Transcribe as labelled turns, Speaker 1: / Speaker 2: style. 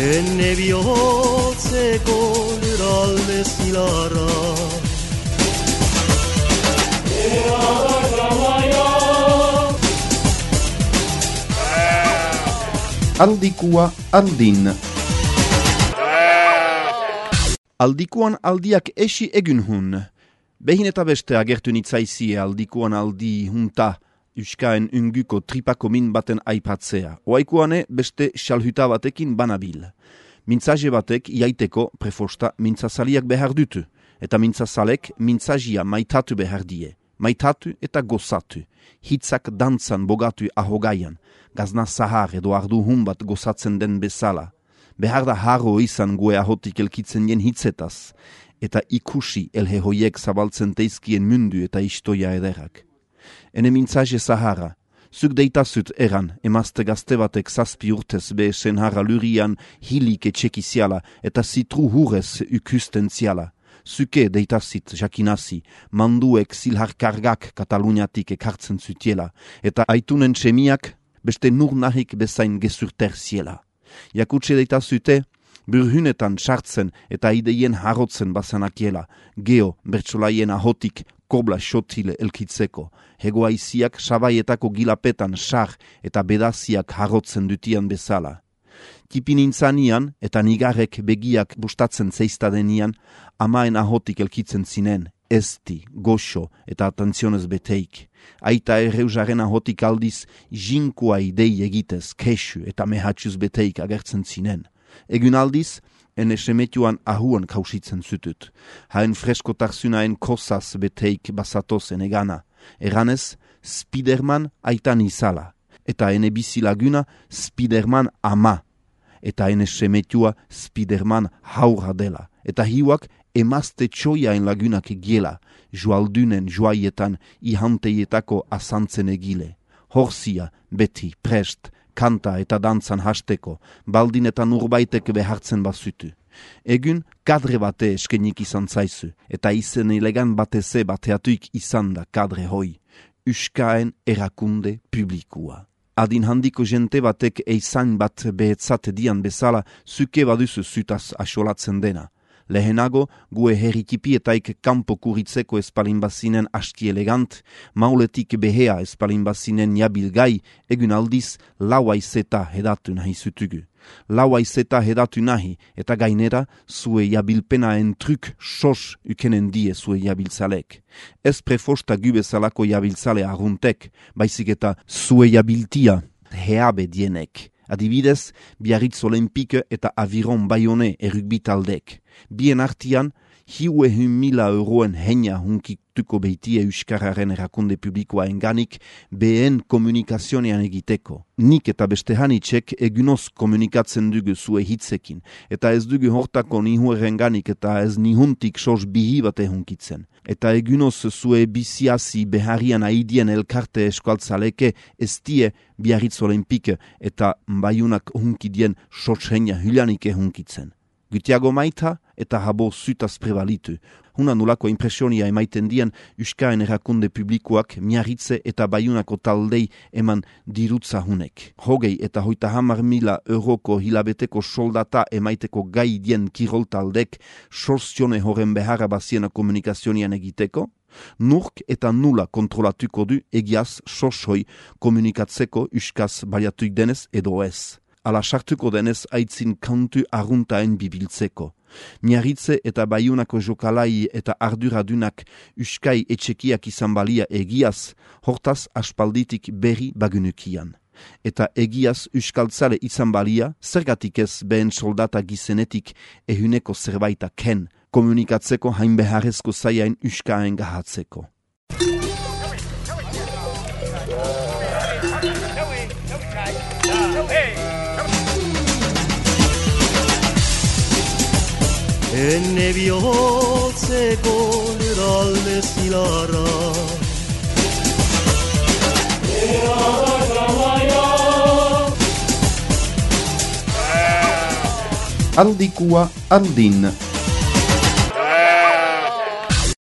Speaker 1: Enne bihotzeko lurralde zilarra
Speaker 2: Aldikua aldin. Aldikuan aldiak esi egun hun. Behin eta beste agertu nitzaizie aldikuan aldi hunta Euskaen unguko tripako min baten aipatzea. Oaikuane beste xalhuta batekin banabil. Mintzaje batek iaiteko prefosta mintzazaliak behar dutu. Eta mintzazalek mintzajia maitatu behar die. Maitatu eta gozatu. Hitzak dantzan bogatu ahogaian. Gazna zahar edo ardu hun bat gozatzen den bezala. Behar da harro izan gue ahotik elkitzen jen hitzetaz. Eta ikusi elhe hoiek zabaltzen teizkien mundu eta istoia ederak. Ene mintzaje zahara. Zuk deitazut eran, emazte gazte batek zazpi urtez behesen harra lurian hilik etxekiziala eta zitru hurez ukusten ziala. Zuke deitazit jakinazi, manduek zilharkargak Kataluniatik ekartzen zutiela, eta aitunen txemiak beste nur nahik bezain gezurter ziela. Jakutse deitazute, burhunetan sartzen eta ideien harrotzen bazanakiela, geo bertsolaien ahotik kobla xotile elkitzeko, hegoaiziak sabaietako gilapetan sar eta bedaziak harrotzen dutian bezala. Kipinintzanian eta nigarek begiak bustatzen zeiztadenian, amaen ahotik elkitzen zinen, esti, goxo eta atentzionez beteik. Aita erreusaren ahotik aldiz, jinkua idei egitez, kesu eta mehatxuz beteik agertzen zinen. Egun aldiz, ene semetuan ahuan kausitzen zutut. Haen freskotarzunaen kosaz beteik basatozen egana. Eranez, Spiderman aitan izala. Eta ene bizilaguna Spiderman ama. Eta ene semetua Spiderman haura dela. Eta hiuak emazte txoiaen lagunak egiela, joaldunen joaietan ihanteietako asantzen egile. Horzia, beti, prest, kanta eta dantzan hasteko, baldin eta nurbaitek behartzen bazutu. Egun kadre bate eskenik izan zaizu, eta izen elegan bateze bateatuik izan da kadre hoi. Euskaen erakunde publikua. Adin handiko jente batek eizain bat behetzat dian bezala, zuke baduzu zutaz asolatzen dena. Lehenago, gue herrikipietaik kanpo kuritzeko espalinbazinen aski elegant, mauletik behea espalinbazinen jabilgai, egun aldiz lauaizeta hedatu nahi zutugu. Lauaizeta hedatu nahi, eta gainera, zue jabilpenaen truk sos ukenen die zue jabiltzalek. Ez prefosta gubezalako jabiltzale arruntek, baizik eta zue jabiltia heabe dienek. Adibidez, Biarritz Olempike eta Aviron Bayone errugbitaldek. Bien artian, 100.000 euroen heina hunkituko beitie Euskararen erakunde publikoa enganik behen komunikazionean egiteko. Nik eta beste hanitzek egunoz komunikatzen dugu zue hitzekin, eta ez dugu hortako nihueren ganik eta ez nihuntik sos bihi bate hunkitzen. Eta egunoz zue biziazi beharian aidien elkarte eskualtzaleke ez die Biarritz Olempike eta Bayunak hunkidien sos heina hülanike hunkitzen. Gutiago maita eta habo zutaz prevalitu. Huna nulako impresionia emaiten dian Euskaen erakunde publikoak Miarritze eta Bayunako taldei eman dirutza hunek. 20 eta 30.000 euroko hilabeteko soldata emaiteko gai dien kirol taldek sorzione horren beharra baziena komunikazionian egiteko, nurk eta nula kontrolatuko du egiaz sorsoi komunikatzeko Euskaz baliatuik denez edo ez. Ala sartuko denez aitzin kantu arruntaen bibiltzeko. Miarritze eta Bayunako jokalai eta arduradunak Euskai etxekiak izan balia egiaz, hortaz aspalditik berri bagunukian. Eta egiaz euskaltzale izan balia, zergatik ez behen soldata gizenetik ehuneko zerbaita ken, komunikatzeko hain beharrezko zaiain Euskaen gahatzeko.
Speaker 1: Enne bihotzeko lurralde zilarra
Speaker 2: Aldikua aldin.